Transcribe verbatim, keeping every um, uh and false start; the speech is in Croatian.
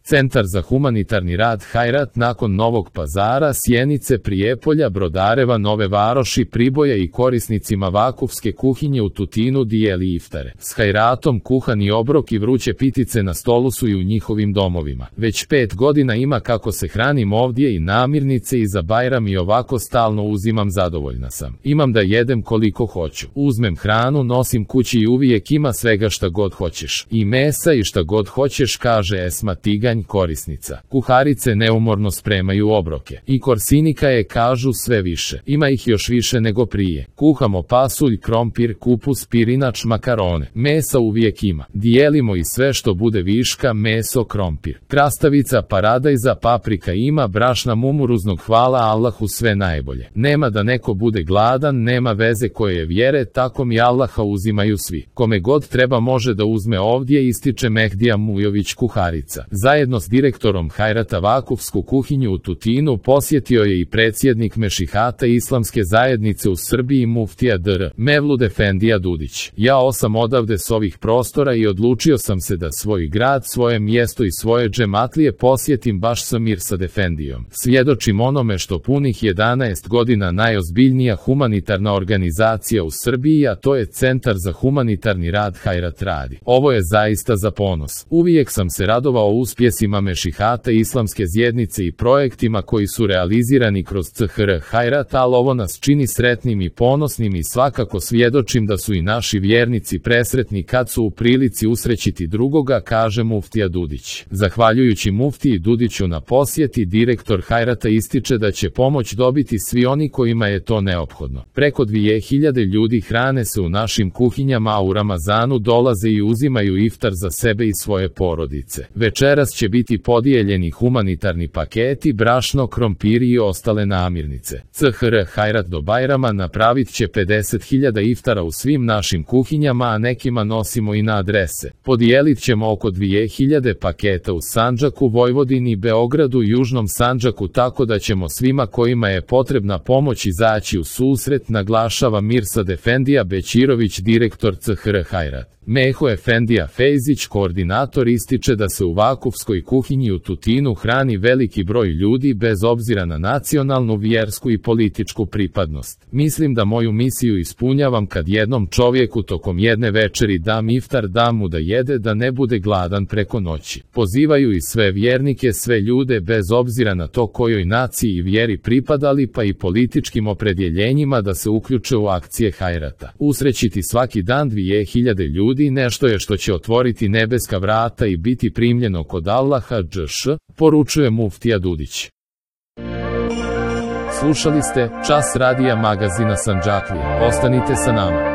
Centar za humanitarni rad Hajrat nakon Novog Pazara, Sjenice, Prijepolja, Brodareva, Nove Varoši, Priboja i korisnicima vakufske kuhinje u Tutinu dijeli iftare. S Hajratom kuhani obrok i vruće pitice na stolu su i u njihovim domovima. Već pet godina ima kako se hranim ovdje i namirnice i za Bajram i ovako stalno uzimam, zadovoljna sam. Imam da jedem koliko hoću. Uzmem hranu, nosim kući i uvijek ima svega šta god hoćeš. I mesa i šta god hoćeš, kaže Esma Tiganj, korisnica. Kuharice neumorno spremaju obroke. I korsinika je, kažu, sve više. Ima ih još više nego prije. Kuhamo pasulj, krompir, kupus, pirinač, makarone. Mesa uvijek ima. Dijelimo i sve što bude viška, meso, krompir. Krastavica, paradajza, paprika ima, brašna mumuruznog, hvala Allahu, sve najbolje. Nema da neko bude gladan, nema veze koje je vjere, tako mi Allaha uzimaju svi. Kome god treba može da uzme ovdje, ističe Mehdija Mujović, kuharica. Zajedno s direktorom Hajrata vakufsku kuhinju u Tutinu posjetio je i predsjednik Mešihata Islamske zajednice u Srbiji muftija dr. Mevlud Efendija Dudić. Ja sam odavde s ovih prostora i odlučio sam se da svoj grad, svoje mjesto i svoje džematlije posjetim baš sa Mirsad Efendijom. Svjedočim onome što punih jedanaest godina najozbiljnija humanitarna organizacija u Srbiji, a to je Centar za humanitarni rad Hajrat radi. Ovo je zaista za ponos. Uvijek sam se radovao uspjesima Mešihata Islamske zajednice i projektima koji su realizirani kroz C H R Hajrat, ali ovo nas čini sretnim i ponosnim i svakako svjedočim da su i naši vjernici presretni kad su u prilici usrećiti drugoga, kaže muftija Dudić. Zahvaljujući muftiji Dudiću na posjeti, direktor Hajrata ističe da će pomoć dobiti svi oni kojima je to neophodno. Preko dvije hiljade ljudi hrane se u našim kuhinjama, a u Ramazanu dolaze i uzimaju iftar za sebe i svoje porodice. Večeras će biti podijeljeni humanitarni paketi, brašno, krompiri i ostale namirnice. C H R Hajrat do Bajrama napravit će pedeset hiljada iftara u svim našim kuhinjama, a nekima nosimo i na adrese. Podijelit ćemo oko dvije hiljade paketa u Sandžaku, Vojvodini, Beogradu, Južnom Sandžaku, tako da ćemo svima kojima je potrebna pomoć izaći u susret, naglašava Mirsad Efendija Bećirović, direktor C H R Hajrat. Meho Efendija Fejzić, koordinator, ističe da se u vakufskoj kuhinji u Tutinu hrani veliki broj ljudi bez obzira na nacionalnu, vjersku i političku pripadnost. Mislim da moju misiju ispunjavam kad jednom čovjeku tokom jedne večeri dam iftar, dam mu da jede, da ne bude gladan preko noći. Pozivaju i sve vjernike, sve ljude bez obzira na to kojoj naciji i vjeri pripadali, pa i političkim opredjeljenjima, da se uključe u akcije Hajrata. Usrećiti svaki dan dvije hiljade ljudi nešto je što će otvoriti nebeska vrata i biti primljeno kod Allaha džš, poručuje muftija Dudić. Slušali ste Čas radija magazina Sandžaklije. Ostanite sa nama.